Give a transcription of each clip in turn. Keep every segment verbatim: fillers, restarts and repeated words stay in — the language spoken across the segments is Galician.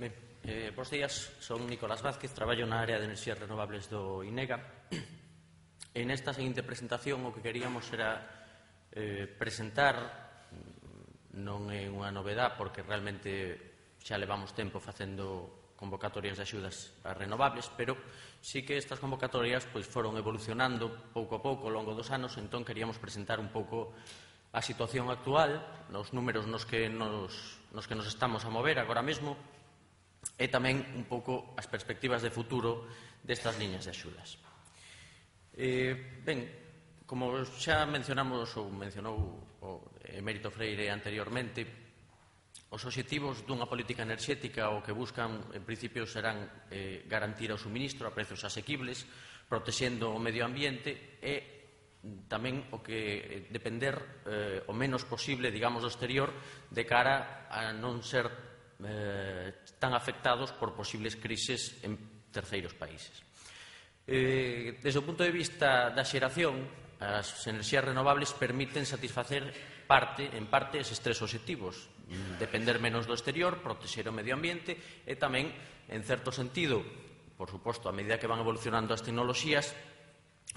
Ben, eh, bons días, son Nicolás Vázquez, traballo na área de enerxías renovables do INEGA. E nesta seguinte presentación o que queríamos era eh, presentar, non é unha novedad porque realmente xa levamos tempo facendo convocatorias de axudas a renovables, pero sí que estas convocatorias pois, foron evolucionando pouco a pouco ao longo dos anos, entón queríamos presentar un pouco a situación actual, nos números nos que nos, nos que nos estamos a mover agora mesmo, e tamén un pouco as perspectivas de futuro destas liñas de axudas. Eh, ben, como xa mencionamos ou mencionou o Emérito Freire anteriormente, os obxectivos dunha política enerxética o que buscan, en principio, serán eh, garantir o suministro a prezos asequibles, protexendo o medio ambiente e tamén o que depender eh, o menos posible, digamos, do exterior de cara a non ser eh, tan afectados por posibles crises en terceiros países. Eh, desde o punto de vista da xeración, as enerxías renovables permiten satisfacer parte, en parte eses tres obxectivos: depender menos do exterior, protexer o medio ambiente e tamén, en certo sentido, por suposto, a medida que van evolucionando as tecnoloxías,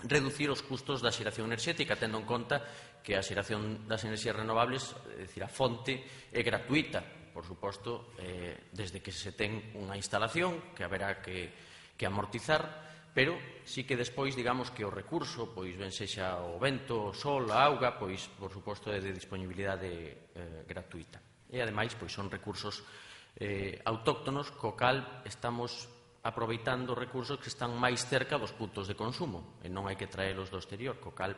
reducir os custos da xeración enerxética, tendo en conta que a xeración das enerxías renovables, é dicir, a fonte é gratuita, por suposto, eh, desde que se ten unha instalación que haberá que, que amortizar, pero sí que despois, digamos, que o recurso, pois ben sexa o vento, o sol, a auga, pois, por suposto, é de disponibilidade eh, gratuita. E, ademais, pois son recursos eh, autóctonos, co cal estamos aproveitando recursos que están máis cerca dos puntos de consumo, e non hai que traelos do exterior, co cal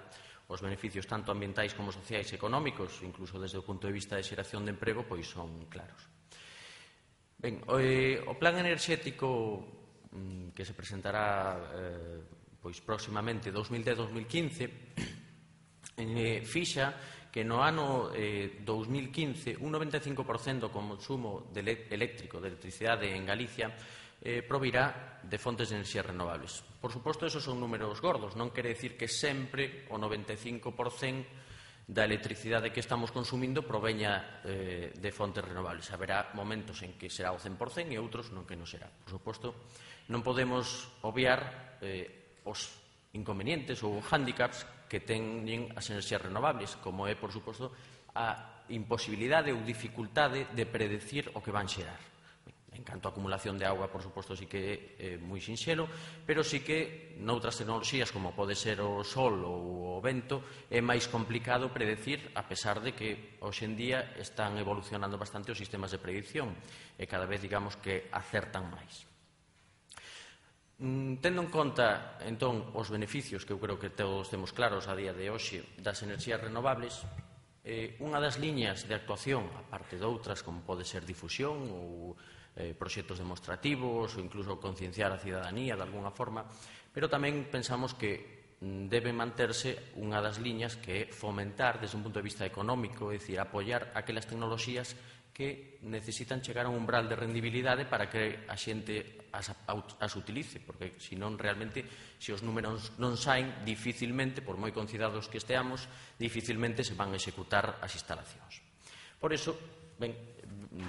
os beneficios tanto ambientais como sociais e económicos, incluso desde o punto de vista de xeración de emprego, pois son claros. Ben, o, eh, o plan enerxético mm, que se presentará eh, pois próximamente dous mil dez a dous mil quince eh, fixa que no ano eh, dous mil quince un noventa e cinco por cento do consumo de eléctrico, de electricidade en Galicia eh, provirá de fontes de enerxías renovables. Por suposto, esos son números gordos, non quere decir que sempre o noventa e cinco por cento da electricidade que estamos consumindo proveña eh, de fontes renovables. Haberá momentos en que será o cen por cento e outros non que non será. Por suposto, non podemos obviar eh, os inconvenientes ou handicaps que teñen as enerxías renovables, como é, por suposto, a imposibilidade ou dificultade de predecir o que van xerar. En canto a acumulación de auga, por suposto, sí que é moi sinxelo, pero sí que noutras tecnoloxías, como pode ser o sol ou o vento, é máis complicado predecir, a pesar de que hoxe en día están evolucionando bastante os sistemas de predicción e cada vez, digamos, que acertan máis. Tendo en conta, entón, os beneficios que eu creo que todos temos claros a día de hoxe das enerxías renovables, eh, unha das liñas de actuación, aparte de outras, como pode ser difusión ou eh, proxectos demostrativos ou incluso concienciar a cidadanía de alguna forma, pero tamén pensamos que debe manterse unha das liñas que é fomentar desde un punto de vista económico, é dicir, apoiar aquelas tecnoloxías que necesitan chegar a un umbral de rendibilidade para que a xente as, as utilice, porque senón realmente, se os números non saen, dificilmente, por moi conciedados que esteamos, dificilmente se van a executar as instalacións. Por iso, ben,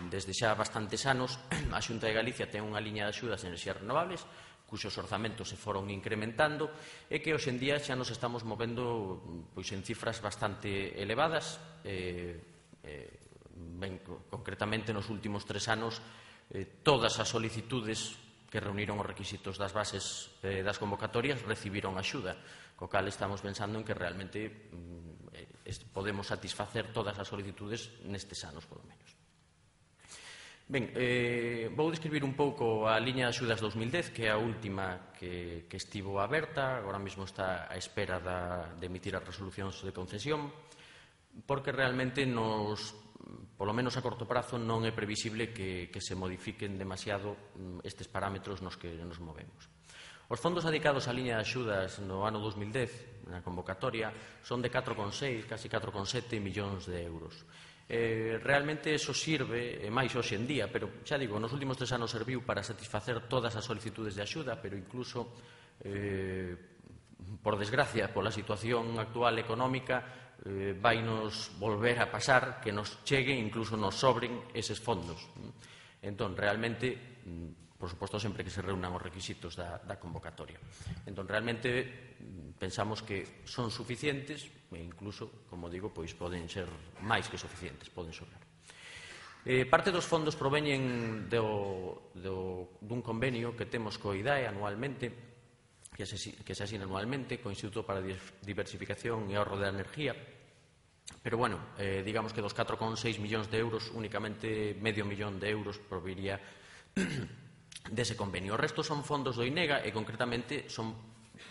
desde xa bastantes anos, a Xunta de Galicia ten unha liña de axudas de enerxías renovables, cuxos orzamentos se foron incrementando e que hoxe en día xa nos estamos movendo pois, en cifras bastante elevadas. Eh, eh, ben, concretamente, nos últimos tres anos, eh, todas as solicitudes que reuniron os requisitos das bases eh, das convocatorias recibiron axuda, co cal estamos pensando en que realmente mm, eh, podemos satisfacer todas as solicitudes nestes anos, polo menos. Ben, eh, vou describir un pouco a liña de axudas dos mil dez, que é a última que, que estivo aberta, agora mesmo está a espera da, de emitir as resolucións de concesión, porque realmente nos, polo menos a corto prazo, non é previsible que, que se modifiquen demasiado estes parámetros nos que nos movemos. Os fondos dedicados á liña de axudas no ano dos mil dez, na convocatoria, son de catro coma seis, casi catro coma sete millóns de euros. Eh, realmente eso sirve, e máis hoxe en día, pero xa digo, nos últimos tres anos serviu para satisfacer todas as solicitudes de axuda, pero incluso, eh, por desgracia, pola situación actual económica, eh, vai nos volver a pasar que nos chegue, incluso nos sobren eses fondos. Entón, realmente, por suposto, sempre que se reúnan os requisitos da, da convocatoria. Entón, realmente, pensamos que son suficientes e incluso, como digo, pois poden ser máis que suficientes, poden sobrar. Eh, parte dos fondos proveñen do, do, dun convenio que temos co I D A E anualmente, que se, que se asina anualmente co Instituto para a Diversificación e Ahorro da Energía, pero, bueno, eh, digamos que dos catro coma seis millóns de euros, únicamente medio millón de euros proviría dese convenio. O resto son fondos do INEGA e, concretamente, son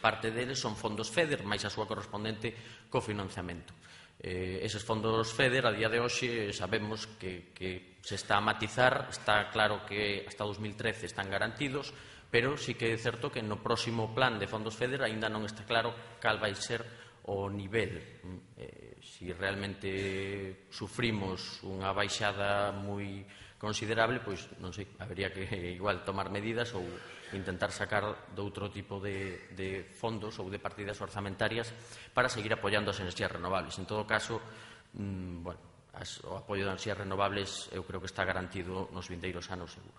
parte deles son fondos FEDER, máis a súa correspondente cofinanciamento. Eh, eses fondos FEDER, a día de hoxe, sabemos que, que se está a matizar, está claro que hasta dos mil trece están garantidos, pero sí que é certo que no próximo plan de fondos FEDER aínda non está claro cal vai ser o nivel. Eh, si realmente sufrimos unha baixada moi considerable, pois, non sei, habería que igual tomar medidas ou intentar sacar de outro tipo de, de fondos ou de partidas orzamentarias para seguir apoiando as enerxías renovables. En todo caso, mmm, bueno, as, o apoio das enerxías renovables eu creo que está garantido nos vindeiros anos seguro.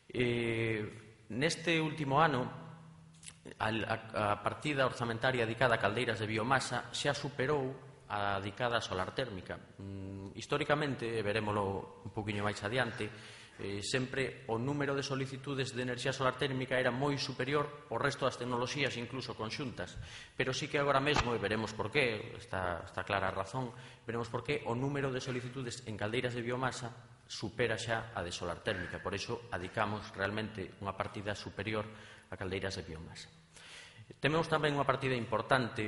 Eh, neste último ano, a, a, a partida orzamentaria dedicada a caldeiras de biomasa xa superou a dedicada a solar térmica. Mm, históricamente, e verémolo un poquinho máis adiante, eh, sempre o número de solicitudes de enerxía solar térmica era moi superior ao resto das tecnoloxías, incluso conxuntas. Pero sí que agora mesmo, e veremos por qué, está, está clara a razón, veremos por qué o número de solicitudes en caldeiras de biomasa supera xa a de solar térmica. Por iso, adicamos realmente unha partida superior a caldeiras de biomasa. Temos tamén unha partida importante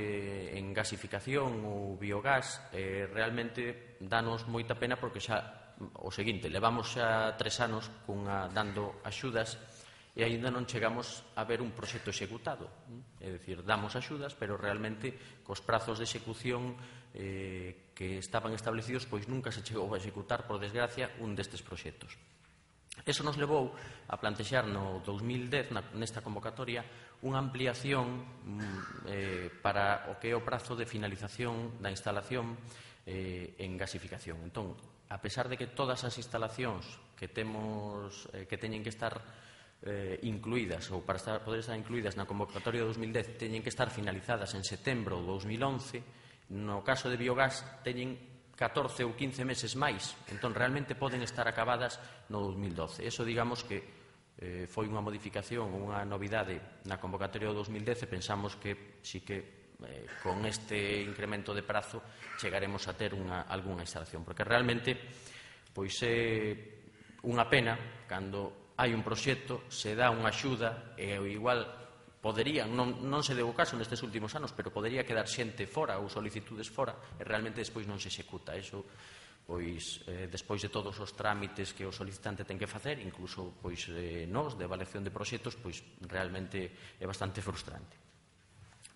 en gasificación ou biogás. Eh, realmente danos moita pena porque xa o seguinte, levamos xa tres anos cunha, dando axudas e aínda non chegamos a ver un proxecto executado. É dicir, damos axudas, pero realmente cos prazos de execución eh, que estaban establecidos, pois nunca se chegou a executar, por desgracia, un destes proxectos. Eso nos levou a plantexar no dous mil dez, nesta convocatoria, unha ampliación eh, para o que é o prazo de finalización da instalación eh, en gasificación. Entón, a pesar de que todas as instalacións que temos eh, que teñen que estar eh, incluídas ou para estar, poder estar incluídas na convocatoria de dous mil dez teñen que estar finalizadas en setembro de dous mil once, no caso de biogás teñen catorce ou quince meses máis, entón realmente poden estar acabadas no dous mil doce. Eso, digamos que eh, foi unha modificación, unha novidade na convocatoria do dous mil dez e pensamos que sí que eh, con este incremento de prazo chegaremos a ter unha, algunha instalación, porque realmente pois é unha pena cando hai un proxecto, se dá unha axuda e igual poderían, non, non se deu o caso nestes últimos anos, pero podería quedar xente fora ou solicitudes fora e realmente despois non se executa. Eso, pois, eh, despois de todos os trámites que o solicitante ten que facer, incluso pois, eh, nos, de avaliación de proxectos, pois realmente é bastante frustrante.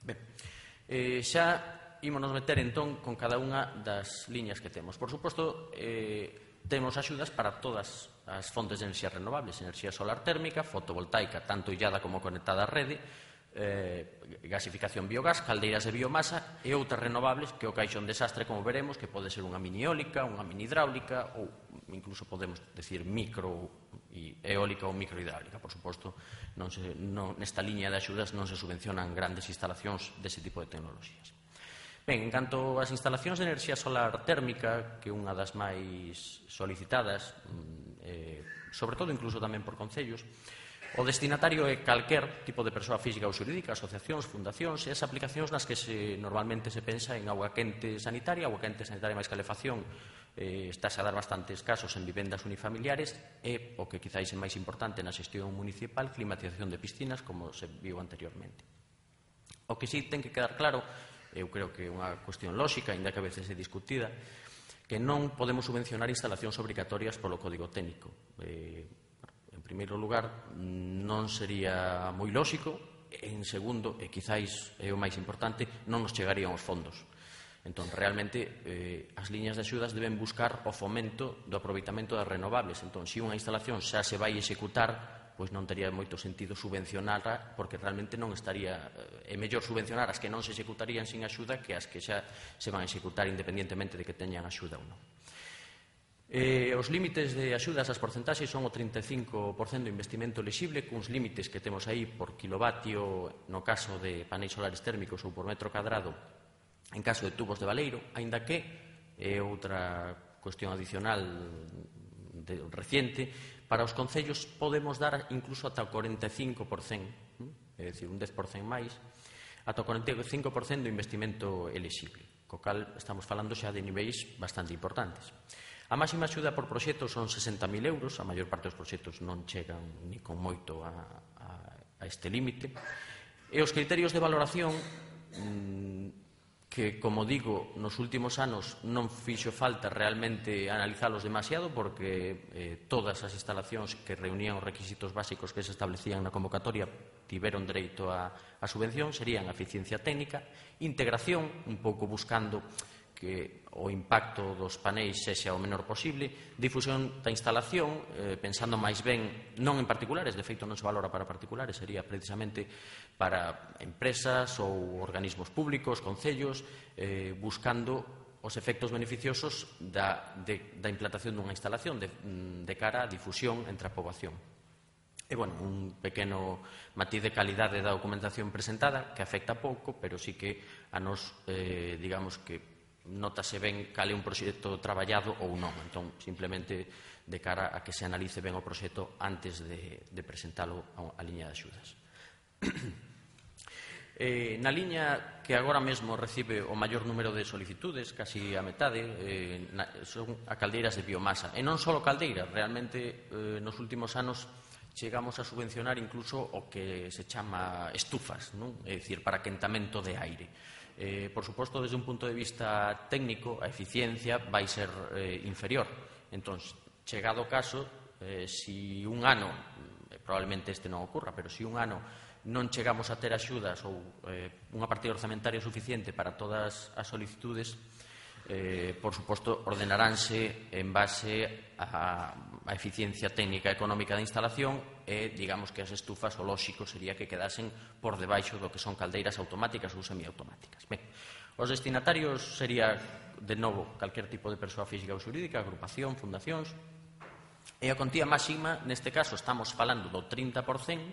Ben, eh, xa ímonos meter entón con cada unha das liñas que temos. Por suposto, eh, temos axudas para todas as fontes de enerxía renovables, enerxía solar térmica, fotovoltaica, tanto illada como conectada á rede, eh, gasificación biogás, caldeiras de biomasa e outras renovables que o caixón desastre, como veremos, que pode ser unha mini eólica, unha mini hidráulica ou incluso podemos decir micro eólica ou microhidráulica. Por suposto, non se, non, nesta liña de axudas non se subvencionan grandes instalacións dese tipo de tecnoloxías. Ben, en canto ás instalacións de enerxía solar térmica, que é unha das máis solicitadas, eh, sobre todo incluso tamén por concellos, o destinatario é calquer tipo de persoa física ou xurídica, asociacións, fundacións, e as aplicacións nas que se, normalmente se pensa en auga quente sanitaria, auga quente sanitaria máis calefacción, eh, estáse a dar bastantes casos en vivendas unifamiliares, e o que quizáis é máis importante na xestión municipal, climatización de piscinas, como se viu anteriormente. O que sí ten que quedar claro, eu creo que é unha cuestión lóxica, ainda que a veces é discutida, que non podemos subvencionar instalacións obrigatorias polo código técnico. Eh, en primeiro lugar, non sería moi lóxico, en segundo, e quizáis é o máis importante, non nos chegarían os fondos. Entón, realmente, eh, as liñas de axudas deben buscar o fomento do aproveitamento das renovables. Entón, se unha instalación xa se vai executar, pois non tería moito sentido subvencionarla, porque realmente non estaría, é mellor subvencionar as que non se executarían sin axuda que as que xa se van a executar independentemente de que teñan axuda ou non. Eh, os límites de axudas ás porcentaxes son o trinta e cinco por cento do investimento elexible, cuns límites que temos aí por kilovatio no caso de paneis solares térmicos ou por metro cadrado en caso de tubos de baleiro, aínda que é outra cuestión adicional de, reciente, para os concellos podemos dar incluso ata o cuarenta e cinco por cento, é dicir, un dez por cento máis, ata o cuarenta e cinco por cento do investimento elexible, co cal estamos falando xa de niveis bastante importantes. A máxima axuda por proxecto son sesenta mil euros, a maior parte dos proxectos non chegan ni con moito a, a, a este límite. E os criterios de valoración, que, como digo, nos últimos anos non fixo falta realmente analizalos demasiado, porque eh, todas as instalacións que reunían os requisitos básicos que se establecían na convocatoria tiveron dereito a, a subvención, serían a eficiencia técnica, integración, un pouco buscando que o impacto dos paneis sexa o menor posible, difusión da instalación, eh, pensando máis ben, non en particulares, de feito non se valora para particulares, sería precisamente para empresas ou organismos públicos, concellos, eh, buscando os efectos beneficiosos da, de, da implantación dunha instalación de, de cara á difusión entre a poboación. E, bueno, un pequeno matiz de calidade da documentación presentada, que afecta pouco, pero sí que a nos, eh, digamos que notase ben cal é un proxecto traballado ou non. Entón, simplemente de cara a que se analice ben o proxecto antes de, de presentalo a liña de axudas. eh, na liña que agora mesmo recibe o maior número de solicitudes, casi a metade, eh, na, son a caldeiras de biomasa. E non só caldeiras, realmente eh, nos últimos anos chegamos a subvencionar incluso o que se chama estufas, non? É dicir, para quentamento de aire. Eh, por suposto, desde un punto de vista técnico, a eficiencia vai ser eh, inferior. Entón, chegado o caso, eh, si un ano, eh, probablemente este non ocurra, pero si un ano non chegamos a ter axudas ou eh, unha partida orzamentaria suficiente para todas as solicitudes, eh, por suposto, ordenaránse en base a, a eficiencia técnica e económica da instalación e, digamos, que as estufas, o lóxico sería que quedasen por debaixo do que son caldeiras automáticas ou semiautomáticas. Ben, os destinatarios sería, de novo, calquer tipo de persoa física ou xurídica, agrupación, fundacións, e a contía máxima, neste caso, estamos falando do trinta por cento,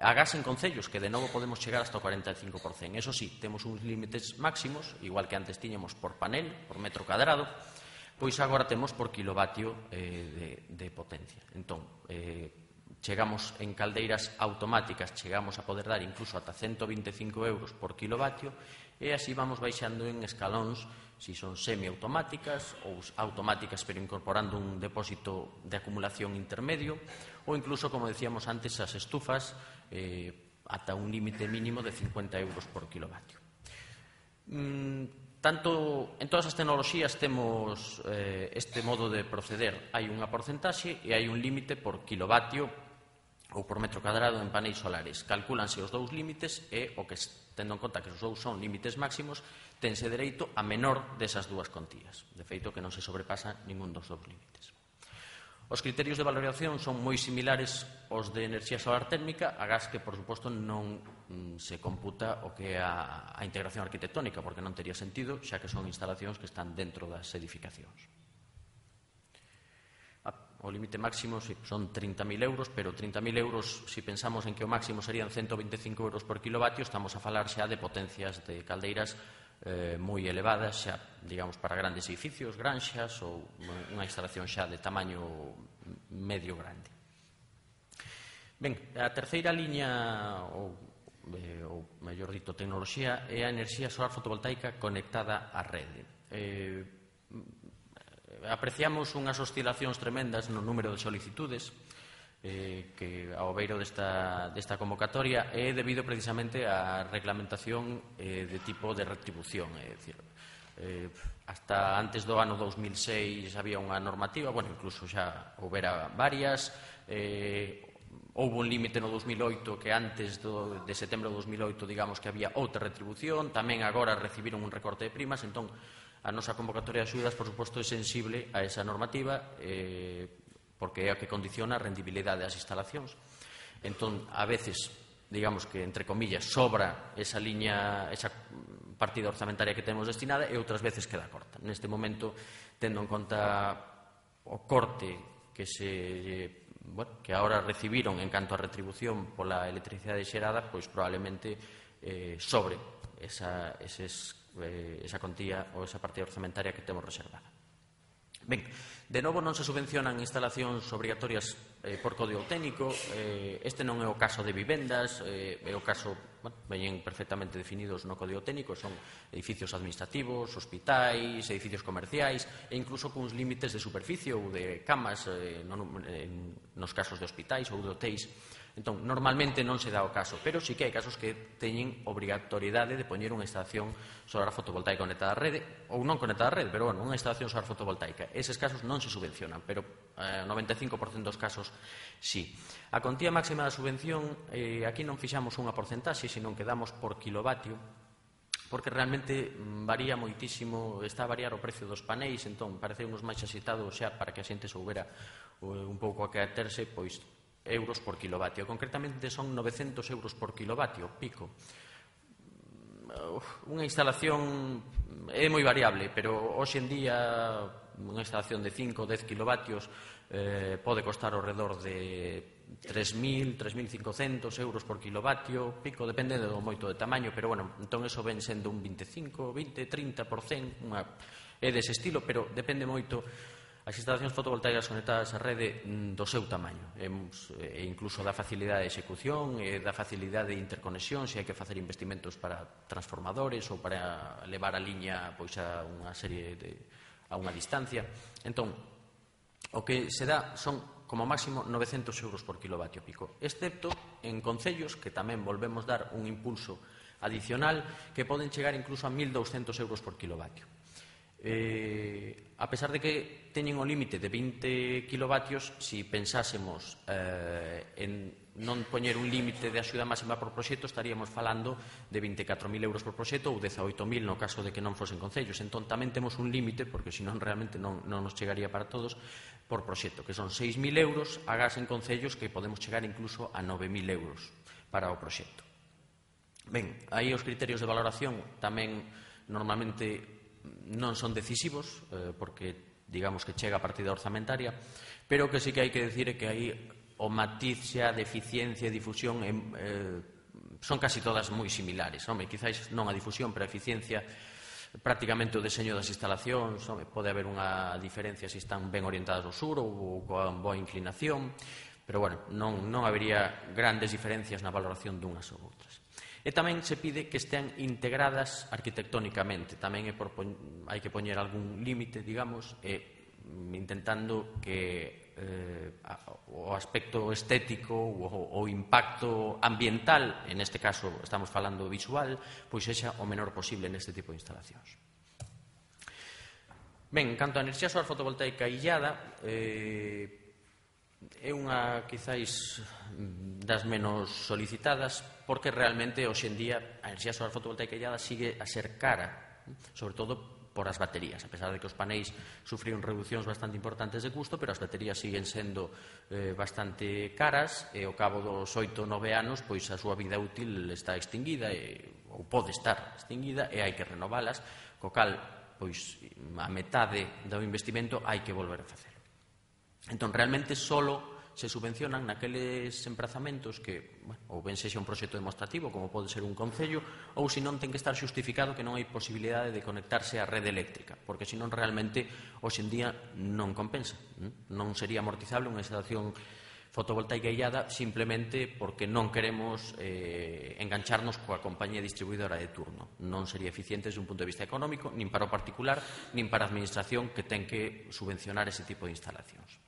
agás en concellos, que de novo podemos chegar hasta o cuarenta e cinco por cento. Eso sí, temos uns límites máximos, igual que antes tiñamos por panel, por metro cadrado, pois agora temos por kilovatio eh, de, de potencia. Entón, eh, chegamos en caldeiras automáticas, chegamos a poder dar incluso ata ciento vinte e cinco euros por kilovatio, e así vamos baixando en escalóns, si son semiautomáticas ou automáticas pero incorporando un depósito de acumulación intermedio, ou incluso, como decíamos antes, as estufas eh, ata un límite mínimo de cincuenta euros por kilovatio. Mm, tanto en todas as tecnoloxías temos eh, este modo de proceder. Hai unha porcentaxe e hai un límite por kilovatio ou por metro cadrado en paneis solares. Calcúlanse os dous límites e, o que tendo en conta que os dous son límites máximos, tense dereito a menor desas dúas contías. De feito, que non se sobrepasa ningún dos dous límites. Os criterios de valoración son moi similares aos de enerxía solar térmica, agás que, por suposto, non se computa o que é a, a integración arquitectónica, porque non tería sentido, xa que son instalacións que están dentro das edificacións. O límite máximo sí, son trinta mil euros, pero trinta mil euros, se si pensamos en que o máximo serían ciento vinte e cinco euros por kilovatio, estamos a falar xa de potencias de caldeiras eh, moi elevadas, xa, digamos, para grandes edificios, granxas ou unha instalación xa de tamaño medio grande. Ben, a terceira liña, ou, eh, ou mellor dito, tecnoloxía, é a enerxía solar fotovoltaica conectada á rede. Eh, apreciamos unhas oscilacións tremendas no número de solicitudes eh, que ao beiro desta, desta convocatoria é debido precisamente á reglamentación eh, de tipo de retribución, é dicir, eh, hasta antes do ano dos mil seis había unha normativa, bueno, incluso xa houbera varias, eh, houve un límite no dos mil oito que antes do, de setembro de dos mil oito, digamos que había outra retribución, tamén agora recibiron un recorte de primas, entón a nosa convocatoria de axudas, por suposto, é sensible a esa normativa eh, porque é a que condiciona a rendibilidade das instalacións. Entón, a veces, digamos que, entre comillas, sobra esa liña, esa partida orzamentaria que temos destinada e outras veces queda corta. Neste momento, tendo en conta o corte que se bueno, que ahora recibiron en canto a retribución pola electricidade xerada, pois probablemente eh, sobre esa, eses, eh, esa contía ou esa partida orzamentaria que temos reservada. Ben, de novo non se subvencionan instalacións obrigatorias eh, por código técnico. Eh, este non é o caso de vivendas, eh, é o caso, bueno, veñen perfectamente definidos no código técnico, son edificios administrativos, hospitais, edificios comerciais e incluso cuns límites de superficie ou de camas eh, non, en, nos casos de hospitais ou de hotéis. Entón, normalmente non se dá o caso, pero sí que hai casos que teñen obrigatoriedade de poñer unha instalación solar fotovoltaica conectada á rede, ou non conectada á rede, pero bueno, unha instalación solar fotovoltaica. Eses casos non se subvencionan, pero eh, noventa e cinco por cento dos casos sí. A contía máxima da subvención, eh, aquí non fixamos unha porcentaxe, senón que damos por kilovatio, porque realmente varía moitísimo, está a variar o precio dos paneis, entón parece uns máis axitados xa para que a xente soubera un pouco a que aterse, pois euros por kilovatio. Concretamente son novecentos euros por kilovatio, pico. Unha instalación é moi variable, pero hoxe en día unha instalación de cinco ou dez kilovatios eh, pode costar ao redor de tres mil, tres mil cincocentos euros por kilovatio, pico, depende do moito de tamaño, pero bueno, entón eso ven sendo un veinticinco, veinte, trinta por cento, unha, é dese estilo, pero depende moito as instalacións fotovoltaicas conectadas á rede do seu tamaño, e incluso da facilidade de execución e da facilidade de interconexión, se hai que facer investimentos para transformadores ou para levar a liña pois a unha serie de, a unha distancia. Entón, o que se dá son como máximo novecentos euros por kilovatio pico, excepto en concellos que tamén volvemos dar un impulso adicional que poden chegar incluso a mil douscentos euros por kilovatio. Eh, a pesar de que teñen o límite de vinte kilovatios, si pensásemos eh, en non poñer un límite de axuda máxima por proxecto, estaríamos falando de vinte e catro mil euros por proxecto ou dezaoito mil no caso de que non fosen concellos. Entón tamén temos un límite, porque senón realmente non, non nos chegaría para todos, por proxecto, que son seis mil euros, agás en concellos que podemos chegar incluso a nove mil euros para o proxecto. Ben, aí os criterios de valoración tamén normalmente non son decisivos, eh, porque digamos que chega a partida orzamentaria, pero que sí que hai que decir é que aí o matiz xa de eficiencia e difusión eh, son casi todas moi similares. Home, quizáis non a difusión, pero a eficiencia, prácticamente o deseño das instalacións, home, pode haber unha diferencia se están ben orientadas ao sur ou coa boa inclinación, pero bueno, non, non habería grandes diferencias na valoración dunhas ou outras. E tamén se pide que estean integradas arquitectónicamente. Tamén é por, hai que poñer algún límite, digamos, e intentando que eh, o aspecto estético ou o impacto ambiental, en este caso estamos falando visual, pois sexa o menor posible neste tipo de instalacións. Ben, en canto a enerxía solar fotovoltaica illada, eh, é unha, quizáis, das menos solicitadas, porque realmente, hoxe en día, a enerxía solar fotovoltaica illada sigue a ser cara, sobre todo por as baterías, a pesar de que os paneis sufriron reduccións bastante importantes de custo, pero as baterías siguen sendo eh, bastante caras, e ao cabo dos oito, nove anos, pois a súa vida útil está extinguida, e, ou pode estar extinguida, e hai que renovalas, co cal, pois, a metade do investimento hai que volver a facer. Entón, realmente, solo se subvencionan naqueles emprazamentos que, bueno, ou ben sexa un proxecto demostrativo, como pode ser un concello, ou se non ten que estar xustificado que non hai posibilidade de conectarse á rede eléctrica, porque senón realmente, hoxe en día, non compensa. Non sería amortizable unha instalación fotovoltaica illada simplemente porque non queremos eh, engancharnos coa compañía distribuidora de turno. Non sería eficiente desde un punto de vista económico, nin para o particular, nin para a administración que ten que subvencionar ese tipo de instalacións.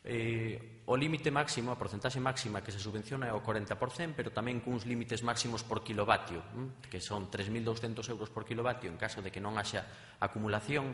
Eh, o límite máximo, a porcentaxe máxima que se subvenciona é o corenta por cento, pero tamén cuns límites máximos por kilovatio, que son tres mil douscentos euros por kilovatio en caso de que non haxa acumulación.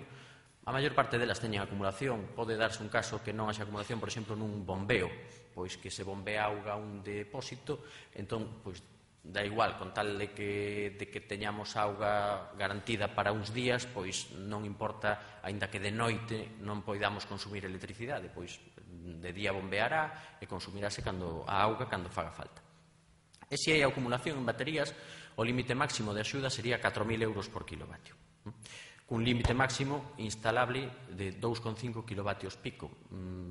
A maior parte delas teñen acumulación. Pode darse un caso que non haxa acumulación, por exemplo, nun bombeo, pois que se bombea auga a un depósito, entón, pois, da igual, con tal de que, de que teñamos auga garantida para uns días, pois non importa, aínda que de noite non poidamos consumir electricidade, pois de día bombeará e consumirase cando a auga cando faga falta. E se hai acumulación en baterías, o límite máximo de axuda sería catro mil euros por kilovatio. cun límite máximo instalable de dous coma cinco kilovatios pico.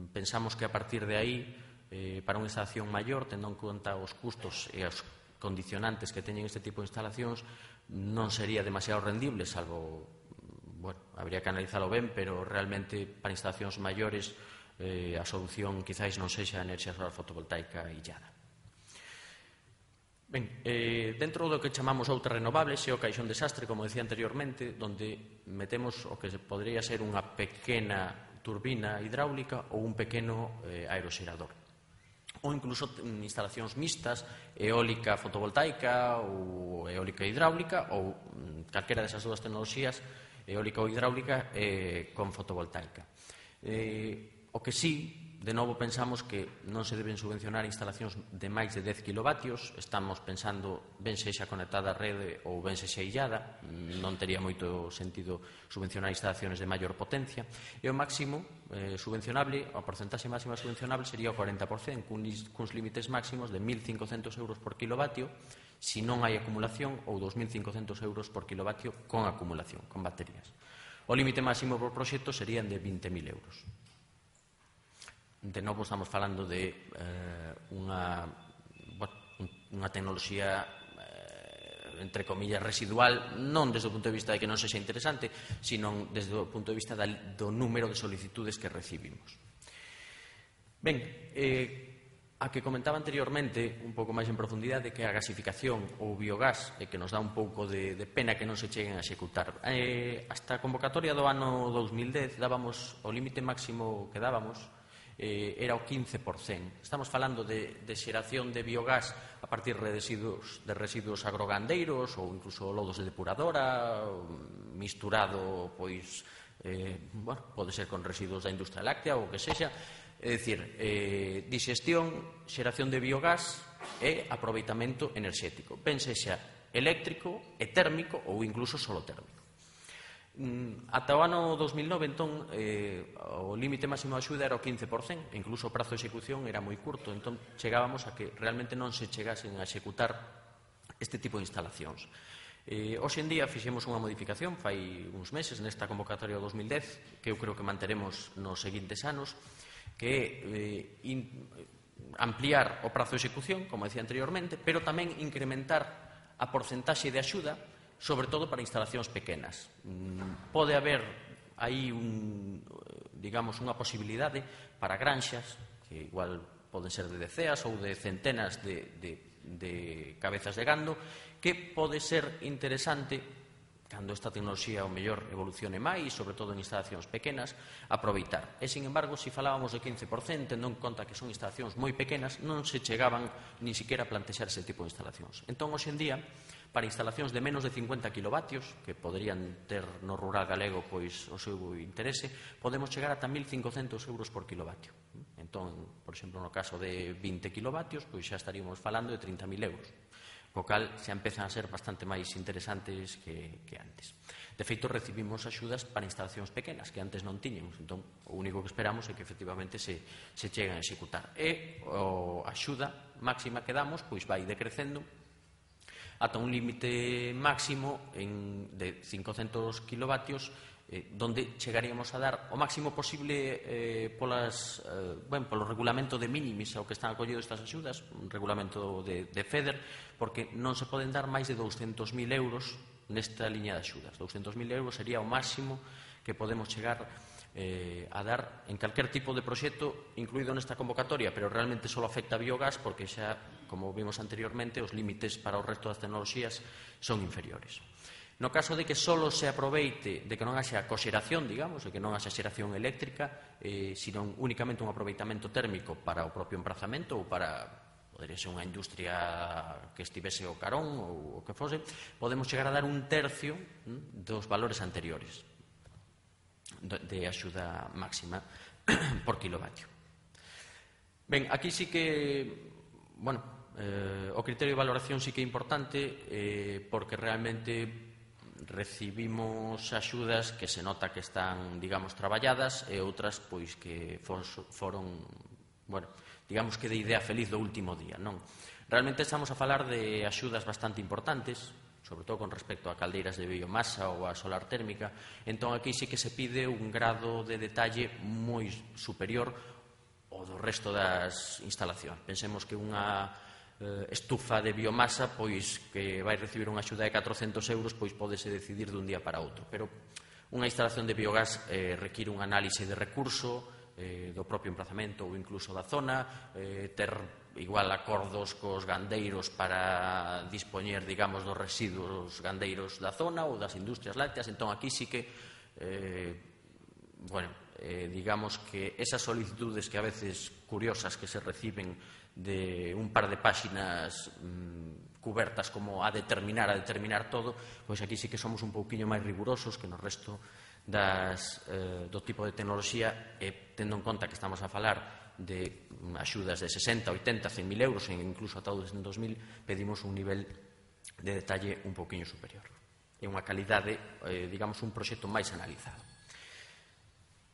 Pensamos que a partir de aí, eh, para unha instalación maior, tendo en conta os custos e os condicionantes que teñen este tipo de instalacións, non sería demasiado rendible, salvo, bueno, habría que analizalo ben, pero realmente para instalacións maiores eh, a solución quizáis non sexa a enerxía solar fotovoltaica illada. Ben, eh, dentro do que chamamos outras renovables é o caixón desastre, como decía anteriormente, onde metemos o que podría ser unha pequena turbina hidráulica ou un pequeno eh, aeroxerador. Ou incluso instalacións mixtas, eólica fotovoltaica ou eólica hidráulica, ou calquera desas dúas tecnoloxías, eólica ou hidráulica, eh, con fotovoltaica. Eh, o que sí, de novo pensamos que non se deben subvencionar instalacións de máis de dez kilovatios. Estamos pensando ben sexa conectada á rede ou ben sexa illada, non tería moito sentido subvencionar instalacións de maior potencia, e o máximo eh, subvencionable, a porcentaxe máxima subvencionable sería o cuarenta por cento, cuns límites máximos de mil cincocentos euros por kilovatio se non hai acumulación, ou dos mil cincocentos euros por kilovatio con acumulación, con baterías. O límite máximo por proxecto serían de vinte mil euros. De novo estamos falando de eh, unha, bueno, unha tecnoloxía eh, entre comillas residual, non desde o punto de vista de que non sexa interesante, sino desde o punto de vista da, do número de solicitudes que recibimos. Ben, eh, a que comentaba anteriormente un pouco máis en profundidade, que a gasificación ou biogás, eh, que nos dá un pouco de, de pena que non se cheguen a executar. Eh, hasta a convocatoria do ano dos mil dez dábamos o límite máximo que dábamos Eh, era o quince por cento. Estamos falando de, de xeración de biogás a partir de residuos, de residuos agrogandeiros ou incluso lodos de depuradora, misturado, pois, eh, bueno, pode ser con residuos da industria láctea ou que sexa. É dicir, eh, digestión, xeración de biogás e aproveitamento enerxético. Ben sexa eléctrico e térmico ou incluso solo térmico. Ata o ano dos mil nove, entón, eh, o límite máximo de axuda era o quince por cento, e incluso o prazo de execución era moi curto, entón chegábamos a que realmente non se chegasen a executar este tipo de instalacións. Eh, hoxe en día fixemos unha modificación, fai uns meses, nesta convocatoria do dos mil dez, que eu creo que manteremos nos seguintes anos, que é eh, in, ampliar o prazo de execución, como decía anteriormente, pero tamén incrementar a porcentaxe de axuda, sobre todo para instalacións pequenas. Pode haber aí un, digamos, unha posibilidade para granxas, que igual poden ser de deceas ou de centenas de, de, de cabezas de gando, que pode ser interesante, cando esta tecnoloxía o mellor evolucione máis, sobre todo en instalacións pequenas, aproveitar. E, sin embargo, se falábamos de quince por cento, tendo en conta que son instalacións moi pequenas, non se chegaban ni siquiera a plantexar ese tipo de instalacións. Entón, hoxe en día, para instalacións de menos de cincuenta kilovatios, que poderían ter no rural galego pois o seu interese, podemos chegar ata mil cincocentos euros por kilovatio. Entón, por exemplo, no caso de vinte kilovatios, pois xa estaríamos falando de trinta mil euros, co cal xa empezan a ser bastante máis interesantes que, que antes. De feito, recibimos axudas para instalacións pequenas, que antes non tiñamos. Entón, o único que esperamos é que efectivamente se, se cheguen a executar. E a axuda máxima que damos pois vai decrecendo ata un límite máximo en, de cincocentos kilovatios, eh, donde chegaríamos a dar o máximo posible eh, polas, eh, bueno, polo regulamento de minimis ao que están acollidos estas axudas, un regulamento de, de FEDER, porque non se poden dar máis de douscentos mil euros nesta liña de axudas. douscentos mil euros sería o máximo que podemos chegar Eh, a dar en calquer tipo de proxecto incluído nesta convocatoria, pero realmente só afecta a biogás porque xa, como vimos anteriormente, os límites para o resto das tecnoloxías son inferiores. No caso de que só se aproveite, de que non haxa coxeración, digamos, de que non haxa xeración eléctrica, eh, sino únicamente un aproveitamento térmico para o propio emprazamento ou para, podería ser unha industria que estivese o carón ou o que fose, podemos chegar a dar un tercio hm, dos valores anteriores de axuda máxima por kilovatio. Ben, aquí sí que, bueno, eh, o criterio de valoración sí que é importante eh, porque realmente recibimos axudas que se nota que están, digamos, traballadas e outras, pois, que foron, bueno, digamos que de idea feliz do último día, non? Realmente estamos a falar de axudas bastante importantes, sobre todo con respecto a caldeiras de biomasa ou a solar térmica. Entón, aquí sí que se pide un grado de detalle moi superior ao do resto das instalacións. Pensemos que unha eh, estufa de biomasa, pois que vai recibir unha axuda de catrocentos euros, pois pódese decidir dun día para outro. Pero unha instalación de biogás eh, require un análise de recurso, eh, do propio emplazamento ou incluso da zona, eh, ter igual acordos cos gandeiros para dispoñer, digamos, dos residuos gandeiros da zona ou das industrias lácteas. Entón, aquí sí que, eh, bueno, eh, digamos que esas solicitudes que a veces curiosas que se reciben de un par de páxinas mmm, cubertas como a determinar, a determinar todo, pois aquí sí que somos un pouquiño máis rigurosos que no resto das, eh, do tipo de tecnoloxía, e tendo en conta que estamos a falar de axudas de sesenta, oitenta, cen mil euros e incluso ata doscientos mil, pedimos un nivel de detalle un pouquiño superior e unha calidade, eh, digamos, un proxecto máis analizado.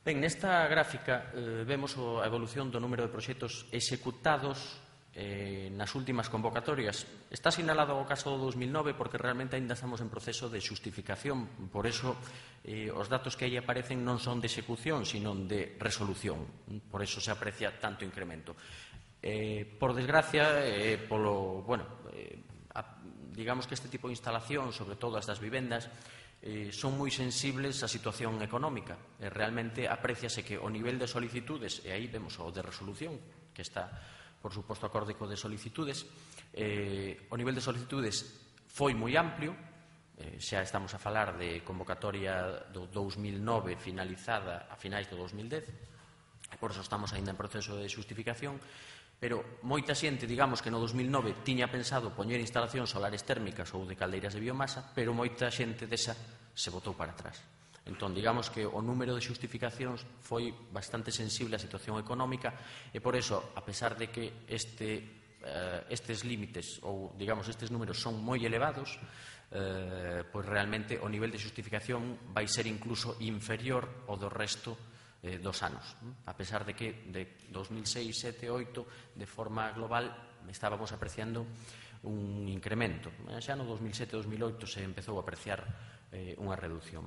Ben, nesta gráfica eh, vemos a evolución do número de proxectos executados eh, nas últimas convocatorias. Está sinalado o caso do dos mil nove porque realmente ainda estamos en proceso de xustificación, por eso eh, os datos que aí aparecen non son de execución, sino de resolución, por eso se aprecia tanto incremento. Eh, por desgracia, eh, polo, bueno, eh, a, digamos que este tipo de instalación, sobre todo as das vivendas, eh, son moi sensibles á situación económica. Eh, realmente apreciase que o nivel de solicitudes, e aí vemos o de resolución, que está por suposto acorde co de solicitudes, eh, o nivel de solicitudes foi moi amplio, eh, xa estamos a falar de convocatoria do dous mil nove finalizada a finais do dous mil dez, e por eso estamos ainda en proceso de xustificación, pero moita xente, digamos que no dos mil nove tiña pensado poñer instalacións solares térmicas ou de caldeiras de biomasa, pero moita xente desa se botou para atrás. Entón, digamos que o número de xustificacións foi bastante sensible á situación económica e, por eso, a pesar de que este, eh, estes límites ou, digamos, estes números son moi elevados, eh, pois realmente o nivel de xustificación vai ser incluso inferior ao do resto eh, dos anos. A pesar de que de dos mil seis, sete, oito, de forma global, estábamos apreciando un incremento. Xa no dos mil sete, dos mil oito se empezou a apreciar eh, unha reducción.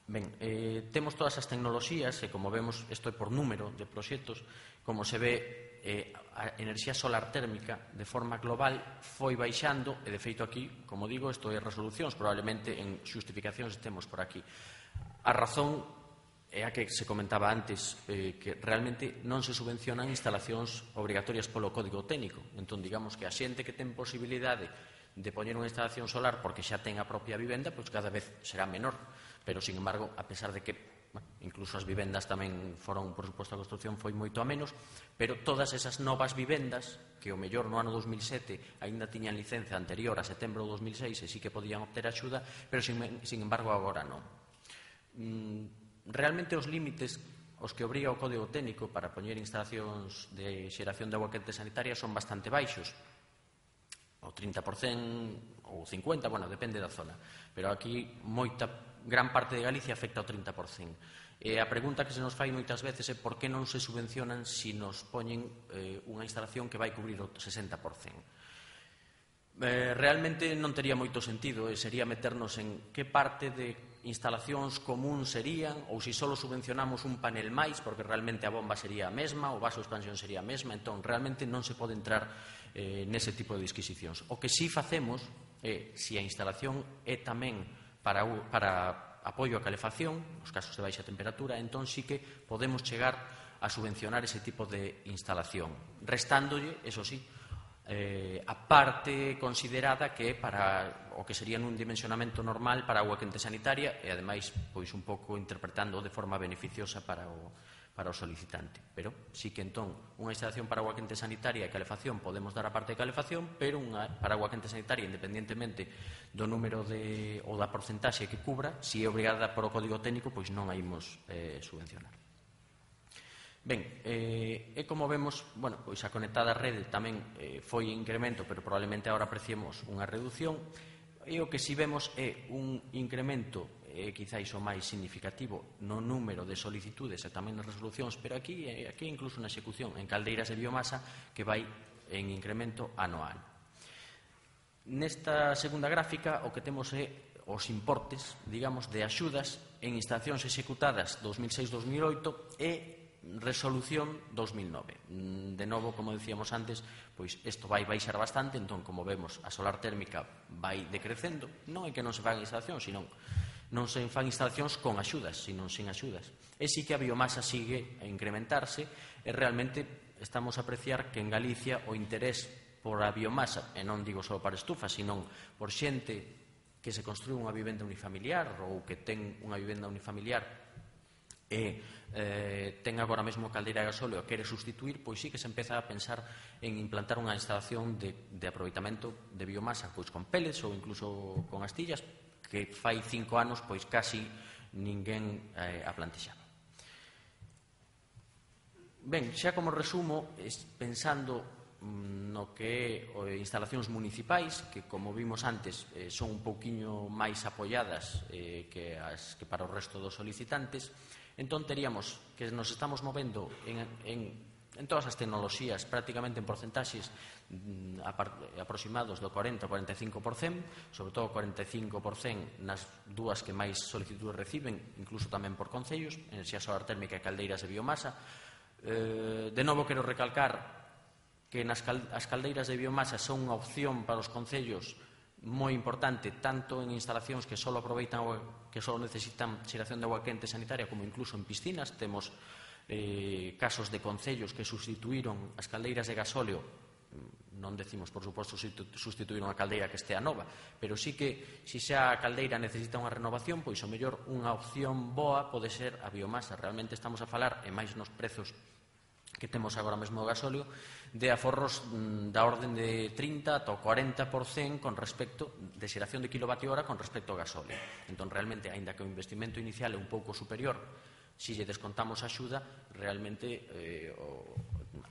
Ben, eh, temos todas as tecnoloxías e, como vemos, isto é por número de proxectos, como se ve, eh, a enerxía solar térmica de forma global foi baixando e, de feito, aquí, como digo, isto é resolucións, probablemente en xustificacións estemos por aquí. A razón é a que se comentaba antes, eh, que realmente non se subvencionan instalacións obrigatorias polo código técnico. Entón, digamos que a xente que ten posibilidade de poñer unha instalación solar porque xa ten a propia vivenda, pois cada vez será menor. Pero, sin embargo, a pesar de que bueno, incluso as vivendas tamén foron, por suposto, a construcción foi moito a menos, pero todas esas novas vivendas, que o mellor no ano dos mil sete aínda tiñan licencia anterior a setembro do dos mil seis e sí que podían obter axuda, pero, sin, sin embargo, agora non. Mm, realmente os límites os que obriga o Código Técnico para poñer instalacións de xeración de agua quente sanitaria son bastante baixos, o trinta por cento ou cincuenta por cento, bueno, depende da zona, pero aquí moita gran parte de Galicia afecta ao trinta por cento. E a pregunta que se nos fai moitas veces é por que non se subvencionan se nos poñen eh, unha instalación que vai cubrir o sesenta por cento. Eh, realmente non tería moito sentido, e sería meternos en que parte de instalacións común serían, ou se só subvencionamos un panel máis, porque realmente a bomba sería a mesma, o vaso de expansión sería a mesma, entón realmente non se pode entrar eh, nese tipo de disquisicións. O que sí facemos é, se a instalación é tamén para, para apoio a calefacción, nos casos de baixa temperatura, entón sí que podemos chegar a subvencionar ese tipo de instalación, restándolle, eso sí, eh, a parte considerada que é para o que sería nun dimensionamento normal para a agua quente sanitaria e, ademais, pois un pouco interpretando de forma beneficiosa para o, para o solicitante. Pero sí que, entón, unha instalación para agua quente sanitaria e calefacción podemos dar a parte de calefacción, pero unha para agua quente sanitaria, independentemente do número de, ou da porcentaxe que cubra, se é obrigada por o Código Técnico, pois non a imos eh, subvencionar. Ben, eh, e como vemos, bueno, pois a conectada rede tamén eh, foi incremento, pero probablemente agora apreciemos unha reducción, e o que si vemos é un incremento é quizáis o máis significativo no número de solicitudes e tamén nas resolucións, pero aquí, aquí incluso na execución en caldeiras de biomasa que vai en incremento anual. Nesta segunda gráfica o que temos é os importes, digamos, de axudas en instalacións executadas dos mil seis dos mil oito e resolución dos mil nove. De novo, como decíamos antes, pois isto vai baixar bastante, entón, como vemos, a solar térmica vai decrecendo. Non é que non se fan instalacións, sino non se fan instalacións con axudas, sino sin axudas. E sí que a biomasa sigue a incrementarse e realmente estamos a apreciar que en Galicia o interés por a biomasa, e non digo só para estufas, sino por xente que se construe unha vivenda unifamiliar ou que ten unha vivenda unifamiliar e eh, ten agora mesmo caldeira de gasóleo e quere sustituir, pois sí que se empeza a pensar en implantar unha instalación de, de aproveitamento de biomasa, pois con pellets ou incluso con astillas, que fai cinco anos pois casi ninguén eh, a plantexaba. Ben, xa como resumo, pensando no que é instalacións municipais, que como vimos antes eh, son un pouquiño máis apoiadas eh, que, as, que para o resto dos solicitantes, entón teríamos que nos estamos movendo en, en, en todas as tecnoloxías prácticamente en porcentaxes mm, aproximados do cuarenta ao cuarenta e cinco por cento, sobre todo cuarenta e cinco por cento nas dúas que máis solicitudes reciben, incluso tamén por concellos, enerxía solar térmica e caldeiras de biomasa. Eh, de novo quero recalcar que nas cal, as caldeiras de biomasa son unha opción para os concellos moi importante, tanto en instalacións que só aproveitan que só necesitan xeración de agua quente sanitaria, como incluso en piscinas. Temos eh, casos de concellos que sustituíron as caldeiras de gasóleo. Non decimos, por suposto, sustituir unha caldeira que estea nova, pero sí que, se xa a caldeira necesita unha renovación, pois o mellor unha opción boa pode ser a biomasa. Realmente estamos a falar, e máis nos prezos que temos agora mesmo o gasóleo, de aforros da orden de trinta ata o cuarenta por cento con respecto de xeración de kilovatio hora con respecto ao gasóleo. Entón, realmente, aínda que o investimento inicial é un pouco superior, se lle descontamos a axuda, realmente eh, o,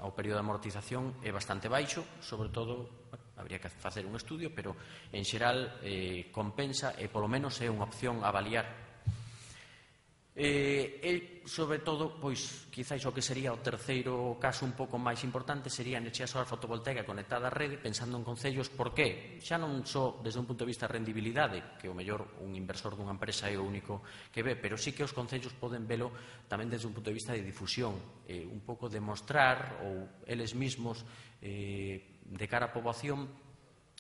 o período de amortización é bastante baixo, sobre todo, bueno, habría que facer un estudio, pero en xeral eh, compensa e polo menos é unha opción a avaliar. Eh, e, sobre todo, pois, quizáis o que sería o terceiro caso un pouco máis importante sería a enerxía solar fotovoltaica conectada á rede, pensando en concellos. Por qué? Xa non só desde un punto de vista de rendibilidade, que o mellor un inversor dunha empresa é o único que ve, pero sí que os concellos poden velo tamén desde un punto de vista de difusión, eh, un pouco demostrar, ou eles mismos, eh, de cara á poboación,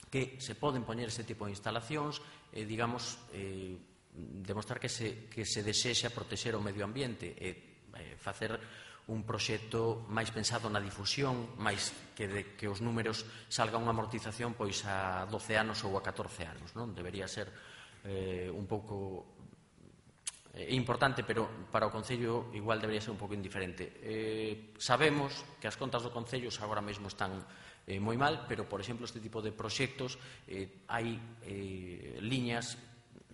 que se poden poñer ese tipo de instalacións, eh, digamos, eh, demostrar que se, que se desexa protexer o medio ambiente e eh, facer un proxecto máis pensado na difusión, máis que de que os números salga unha amortización pois a doce anos ou a catorce anos, non? Debería ser eh, un pouco eh, importante, pero para o Concello igual debería ser un pouco indiferente. Eh, sabemos que as contas do Concello agora mesmo están eh, moi mal, pero, por exemplo, este tipo de proxectos eh, hai eh, liñas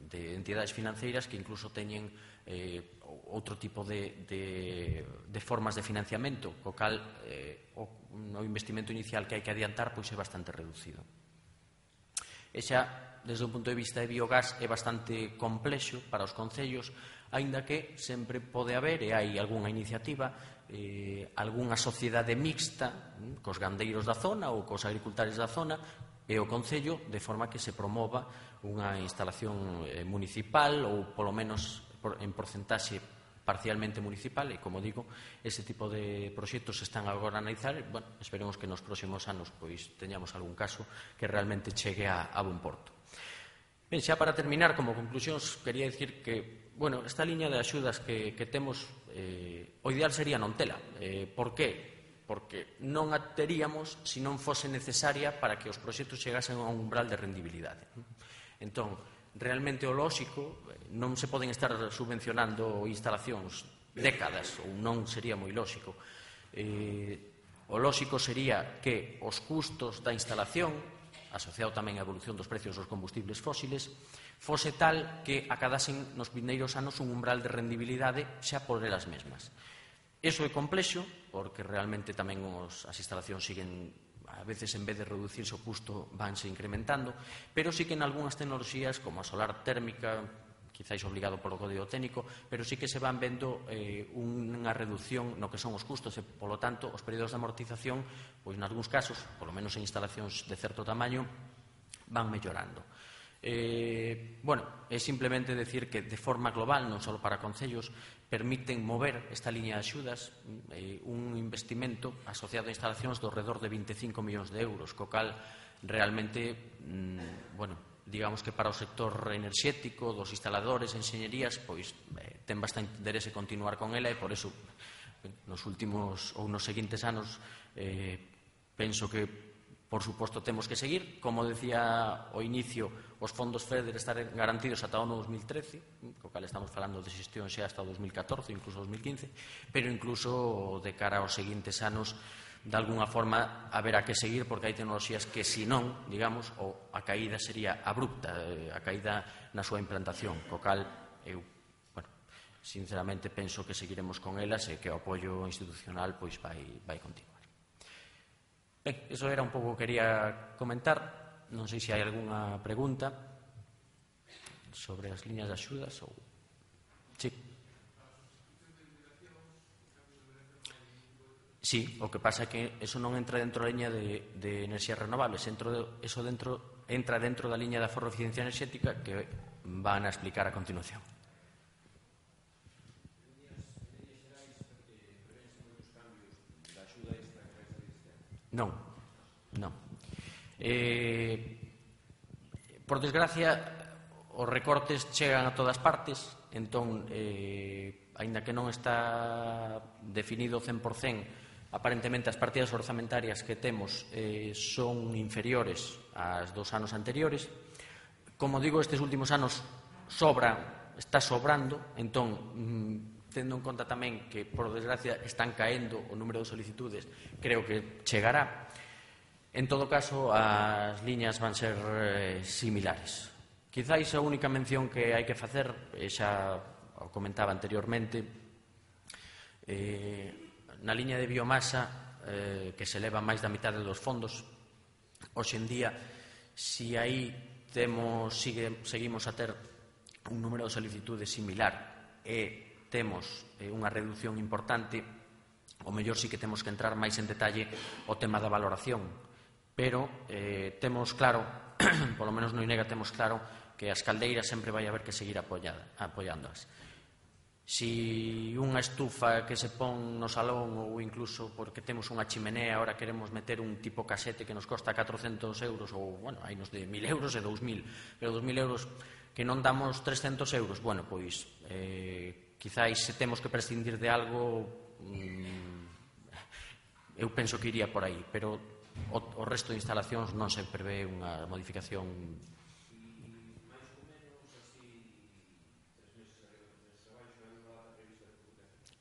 de entidades financeiras que incluso teñen eh, outro tipo de, de, de formas de financiamento, co cal eh, o, o investimento inicial que hai que adiantar pois é bastante reducido. E xa, desde un punto de vista de biogás, é bastante complexo para os concellos, aínda que sempre pode haber, e hai algunha iniciativa, eh, algunha sociedade mixta eh, cos gandeiros da zona ou cos agricultores da zona e o Concello, de forma que se promova unha instalación eh, municipal ou polo menos por, en porcentaxe parcialmente municipal, e como digo, ese tipo de proxectos están agora a analizar. Bueno, esperemos que nos próximos anos pois teñamos algún caso que realmente chegue a, a bon porto. Ben, xa para terminar, como conclusións, quería dicir que, bueno, esta liña de axudas que, que temos, eh, o ideal sería non tela. Eh, por que? Porque non a teríamos se non fose necesaria para que os proxectos chegasen a un umbral de rendibilidade. Entón, realmente o lóxico, non se poden estar subvencionando instalacións décadas, ou non sería moi lóxico. Eh, o lóxico sería que os custos da instalación, asociado tamén á evolución dos precios dos combustibles fósiles, fose tal que acadasen nos vindeiros anos un umbral de rendibilidade xa por elas mesmas. Iso é complexo, porque realmente tamén os, as instalacións siguen, a veces en vez de reducirse o custo, vanse incrementando, pero sí que en algunhas tecnoloxías, como a solar térmica, quizáis obligado polo código técnico, pero sí que se van vendo eh, unha reducción no que son os custos e, polo tanto, os períodos de amortización, pois, en algúns casos, polo menos en instalacións de certo tamaño, van mellorando. Eh, bueno, é simplemente decir que de forma global, non só para concellos, permiten mover esta liña de axudas eh, un investimento asociado a instalacións do redor de vinte e cinco millóns de euros, co cal realmente, mmm, bueno, digamos que para o sector enerxético, dos instaladores, enxeñerías, pois eh, ten bastante interese continuar con ela e por eso nos últimos ou nos seguintes anos eh, penso que por suposto temos que seguir. Como decía ao inicio, os fondos FEDER están garantidos ata o ano dos mil trece, co cal estamos falando de xestión xa hasta o dos mil catorce, incluso dos mil quince, pero incluso de cara aos seguintes anos, de alguna forma haberá que seguir, porque hai tecnoloxías que, se non, digamos, o a caída sería abrupta, a caída na súa implantación, co cal eu, bueno, sinceramente penso que seguiremos con elas e que o apoio institucional pois vai, vai continuar. Ben, iso era un pouco que quería comentar. Non sei se hai algunha pregunta sobre as liñas de axudas ou... Sí. Sí, o que pasa é que eso non entra dentro da liña de, de enerxías renovables, entro de, eso dentro, entra dentro da liña de aforro de eficiencia enerxética que van a explicar a continuación. Non, non. Eh, por desgracia, os recortes chegan a todas partes, entón, eh, aínda que non está definido cen por cen, aparentemente as partidas orzamentarias que temos eh, son inferiores ás dos anos anteriores. Como digo, estes últimos anos sobra, está sobrando, entón, mm, tendo en conta tamén que, por desgracia, están caendo o número de solicitudes, creo que chegará. En todo caso, as liñas van ser eh, similares. Quizáis a única mención que hai que facer, e xa o comentaba anteriormente, eh, na liña de biomasa, eh, que se leva máis da mitad dos fondos, hoxe en día, si aí temos, sigue, seguimos a ter un número de solicitudes similar e temos eh, unha reducción importante, o mellor sí que temos que entrar máis en detalle o tema da valoración, pero eh, temos claro, polo menos no INEGA temos claro, que as caldeiras sempre vai haber que seguir apoiándoas. Si unha estufa que se pon no salón ou incluso porque temos unha chimenea, ahora queremos meter un tipo casete que nos costa catrocentos euros ou, bueno, hai nos de mil euros e dous mil, pero dous mil euros que non damos trescentos euros, bueno, pois eh, quizáis se temos que prescindir de algo, mmm, eu penso que iría por aí, pero o, o resto de instalacións non se prevé unha modificación.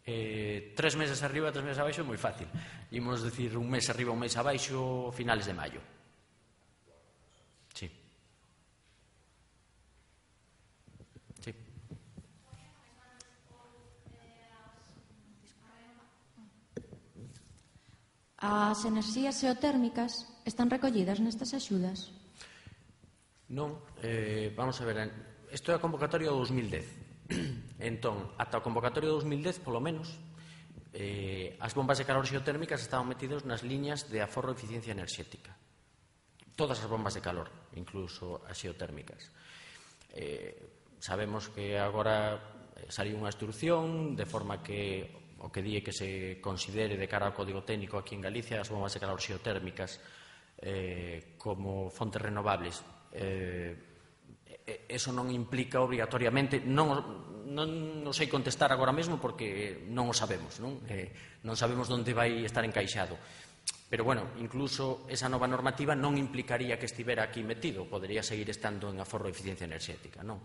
Eh, tres meses arriba, tres meses abaixo é moi fácil. Imos decir un mes arriba, un mes abaixo, finales de maio. Sí. Sí. As enerxías xeotérmicas están recollidas nestas axudas? Non, eh, vamos a ver, isto é a convocatoria do dos mil dez. Entón, ata a convocatoria do dos mil dez, polo menos, eh, as bombas de calor xeotérmicas estaban metidas nas liñas de aforro de eficiencia enerxética. Todas as bombas de calor, incluso as xeotérmicas. Eh, sabemos que agora saliu unha instrucción de forma que o que di é que se considere de cara ao código técnico aquí en Galicia as bombas de calor xeotérmicas eh, como fontes renovables. Eh, eso non implica obrigatoriamente, non, non, non sei contestar agora mesmo porque non o sabemos, non? Eh, non sabemos onde vai estar encaixado. Pero, bueno, incluso esa nova normativa non implicaría que estivera aquí metido, podería seguir estando en aforro de eficiencia enerxética, non?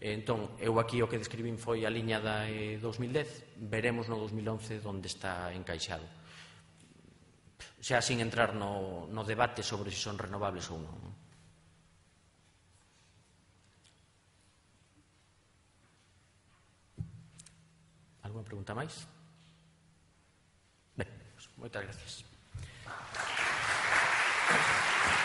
Entón, eu aquí o que describín foi a liña da eh, dos mil dez, veremos no dos mil once onde está encaixado. Xa sin entrar no, no debate sobre se son renovables ou non. Alguna pregunta máis? Ben, pues, moitas gracias.